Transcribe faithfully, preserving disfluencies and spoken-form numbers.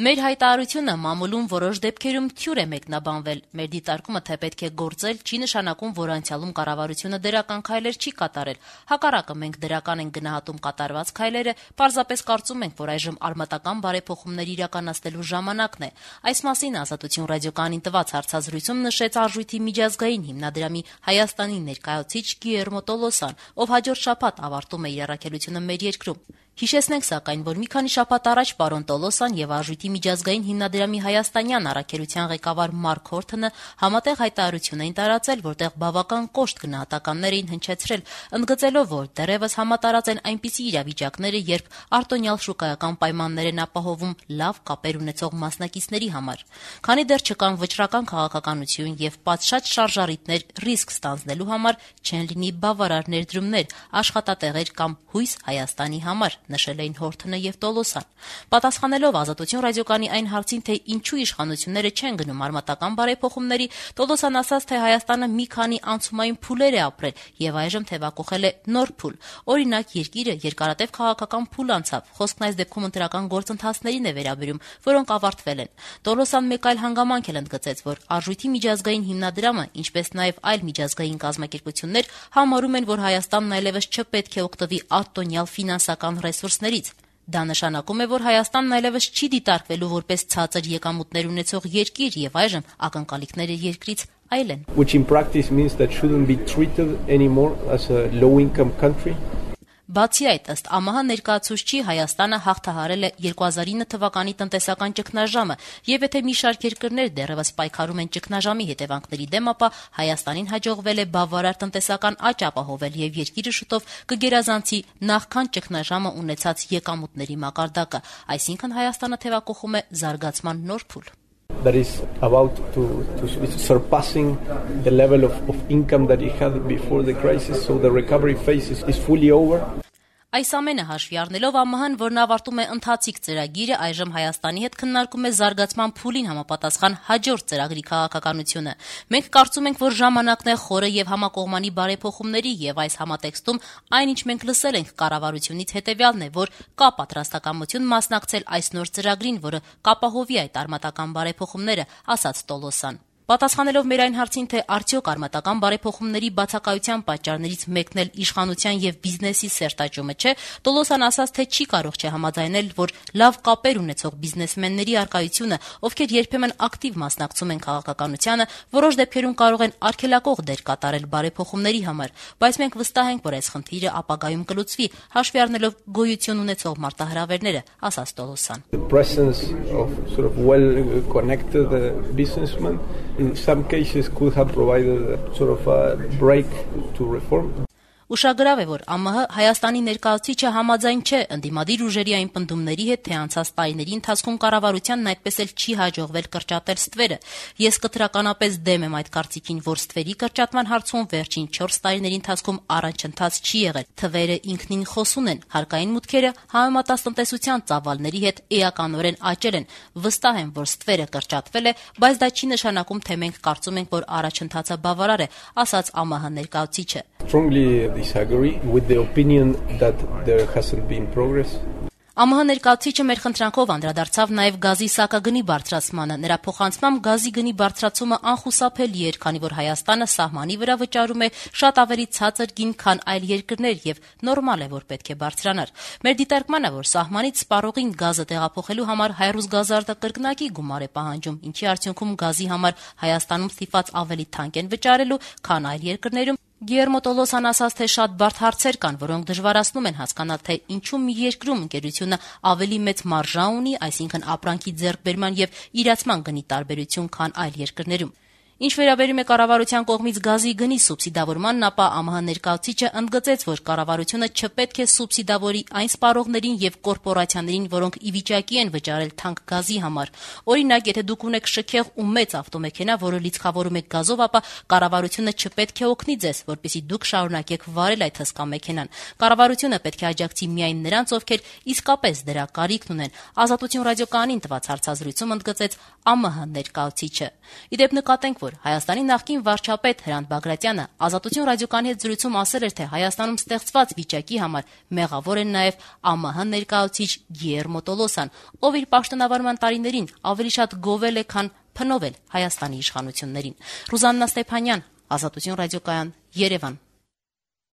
Մեր հայտարարությունը մամուլում որոշ դեպքերում թյուր է մեկնաբանվել։ Մեր դիտարկումը, թե պետք է գործել, չի նշանակում, որ անցյալում կառավարությունը դրական քայլեր չի կատարել։ Հակառակը, մենք դրական ենք գնահատում կատարված քայլերը, պարզապես կարծում ենք, որ այժմ արմատական բարեփոխումներ իրականացնելու ժամանակն է։ Այս մասին Ազատություն ռադիոկայանին տված հարցազրույցում նշեց Արժույթի միջազգային հիմնադրամի Հայաստանի ներկայացուցիչ Գիլերմո Տոլոսան, ով հաջորդ շաբաթ ավարտում է իր առաքելությունը մեր երկրում։ Հիշեցնենք սակայն, որ մի քանի շաբաթ առաջ պարոն Տոլոսան եւ Արժույթի միջազգային հիմնադրամի հայաստանյան առաքելության ղեկավար Մարկ Հորթոնը համատեղ հայտարարություն էին տարածել, որտեղ բավական կոշտ գնահատականներ էին հնչեցրել, ընդգծելով, որ դեռևս համատարած են այնպիսի իրավիճակները, երբ արտոնյալ շուկայական պայմաններ են ապահովում լավ կապեր ունեցող մասնակիցների համար։ Քանի դեռ չկան վճռական քաղաքականություն եւ պատշաճ շարժառիթներ ռիսկ ստանձնելու համար, չեն լինի բավարար ներդրումներ, աշխատատեղեր կամ հույս Հայաստանի համար, նշել էին Հորթոնը եւ Տոլոսան։ Պատասխանելով Ազատություն ռադիոկայանի այն հարցին, թե ինչու իշխանությունները չեն գնում արմատական բարեփոխումների, Տոլոսան ասաց, թե Հայաստանը մի քանի անցումային փուլեր է ապրել եւ այժմ թեւակոխել է նոր փուլ։ Օրինակ, երկիրը երկարատև քաղաքական փուլ անցավ։ Խոսքն այս դեպքում ընտրական գործընթացներին է վերաբերում, որոնք ավարտվել են։ Տոլոսան մեկ այլ հանգամանք էլ ընդգծեց, որ Արժույթի միջազգային հիմնադրամը, ինչպես նաեւ այլ միջազգային կազմակերպություններ, համարում են, որ Հայաստանն այլևս չպետք է օգտվի արտոնյալ ֆինանսական ռեսուրսներից։ Դա նշանակում է, որ Հայաստանն այլևս չի դիտարկվելու որպես ցածր եկամուտներ ունեցող երկիր եւ այժմ ակնկալիքները երկրից այլ են։ Which in practice means that shouldn't be treated anymore as a low income country. Բացի այդ, ըստ ԱՄՀ ներկայացուցչի, Հայաստանը հաղթահարել է երկու հազար ինը թվականի տնտեսական ճգնաժամը, եւ եթե մի շարք երկրներ դեռևս պայքարում են ճգնաժամի հետևանքների դեմ, ապա Հայաստանին հաջողվել է բավարար տնտեսական աճ ապահովել եւ երկիրը շուտով կգերազանցի նախքան ճգնաժամը ունեցած եկամուտների մակարդակը, այսինքն Հայաստանը թեւակոխում է զարգացման նոր փուլ։ That is about to, to it's surpassing the level of, of income that it had before the crisis, so the recovery phase is, is fully over. Այս ամենը հաշվի առնելով ԱՄՀ-ն, որն ավարտում է ընթացիկ ծրագիրը, այժմ Հայաստանի հետ քննարկում է զարգացման փուլին համապատասխան հաջորդ ծրագրի քաղաքականությունը։ Մենք կարծում ենք, որ ժամանակն է խորը եւ համակողմանի բարեփոխումների եւ այս համատեքստում այնինչ մենք լսել ենք կառավարությունից հետեւյալն է, որ կա պատրաստակամություն մասնակցել այս նոր ծրագրին, որը կապահովի այդ արմատական բարեփոխումները, ասաց Տոլոսան։ Պատասխանելով մեր այն հարցին, թե արդյոք արմատական բարեփոխումների բացակայության պատճառներից մեկն էլ իշխանության եւ բիզնեսի սերտաճումը չէ, Տոլոսան ասաց, թե չի կարող չհամաձայնել, որ լավ կապեր ունեցող բիզնեսմենների առկայությունը, ովքեր երբեմն ակտիվ մասնակցում են քաղաքականությանը, որոշ դեպքերում կարող են արգելակող դեր կատարել բարեփոխումների համար, բայց մենք վստահ ենք, որ այս խնդիրը ապագայում կլուծվի, հաշվի առնելով գոյություն ունեցող մարտահրավերները, ասաց Տոլոսան։ The presence of sort of well connected uh, businessmen in some cases could have provided a sort of a break to reform. Ուշագրավ է, որ ԱՄՀ Հայաստանի ներկայացուցիչը համաձայն չէ ընդդիմադիր ուժերի այն պնդումների հետ, թե անցած տարիների ընթացքում կառավարությանն այդպես էլ չի հաջողվել կրճատել ստվերը։ Ես կտրականապես դեմ եմ այդ կարծիքին, որ ստվերի կրճատման հարցում վերջին չորս տարիների ընթացքում առաջընթաց չի եղել։ Թվերը ինքնին խոսուն են, հարկային մուտքերը համեմատած տնտեսության ծավալների հետ էականորեն աճել են։ Վստահ եմ, որ ստվերը կրճատվել է, բայց դա չի նշանակում, թե մենք կարծում ենք, որ առաջընթացը բավարար է, ասաց ԱՄՀ ներկայացուցիչը։ Strongly disagree with the opinion that there hasn't been progress. ԱՄՀ ներկայացուցիչը մեր խնդրանքով անդրադարձավ նաև գազի սակագնի բարձրացմանը։ Նրա փոխանցմամբ գազի գնի բարձրացումը անխուսափելի էր, քանի որ Հայաստանը սահմանի վրա վճարում է շատ ավելի ցածր գին, քան այլ երկրներ եւ նորմալ է, որ պետք է բարձրանար։ Մեր դիտարկմանն է, որ սահմանից սպառողին գազը տեղափոխելու համար հայրուզ գազարտը կրկնակի գումար է պահանջում, ինչի արդյունքում գազի համար Հայաստանում ստիպված ավելի թանկ են վճարելու, քան այլ երկրներում։ Գիլերմո Տոլոսան ասաց, թե շատ բարդ հարցեր կան, որոնք դժվարացնում են հասկանալ, թե ինչու մի երկրում ընկերությունը ավելի մեծ մարժա ունի, այսինքն ապրանքի ձեռքբերման եւ իրացման գնի տարբերություն, քան այլ երկրներում։ Ինչ վերաբերում է կառավարության կողմից գազի գնի սուբսիդավորմանն, ապա ԱՄՀ ներկայացուցիչը ընդգծեց, որ կառավարությունը չպետք է սուբսիդավորի այն սպառողներին եւ կորպորացիաներին, որոնք ի վիճակի են վճարել թանկ գազի համար։ Օրինակ, եթե դուք ունեք շքեղ ու մեծ ավտոմեքենա, որը լիցքավորում եք գազով, ապա կառավարությունը չպետք է օգնի ձեզ, որպեսզի դուք շարունակեք վարել այդ հսկա մեքենան։ Կառավարությունը պետք է աջակցի միայն նրանց, ովքեր իսկապես դրա կարիքն ունեն։ Ազատություն ռադիոկայանին տված հարցազրույցում ընդգծեց ԱՄՀ ներկայացուցիչը։ Իդեպ նկատենք, որ որ Հայաստանի նախկին վարչապետ Հրանտ Բագրատյանը Ազատություն ռադիոկայանի հետ զրույցում ասել էր, թե Հայաստանում ստեղծված վիճակի համար մեղավոր են նաև ԱՄՀ ներկայացուցիչ Գիերմո Տոլոսան, ով իր պաշտոնավարման տարիներին ավելի շատ գովել է, քան փնովել Հայաստանի իշխանություններին։ Ռուզաննա Ստեփանյան, Ազատություն ռադիոկայան, Երևան։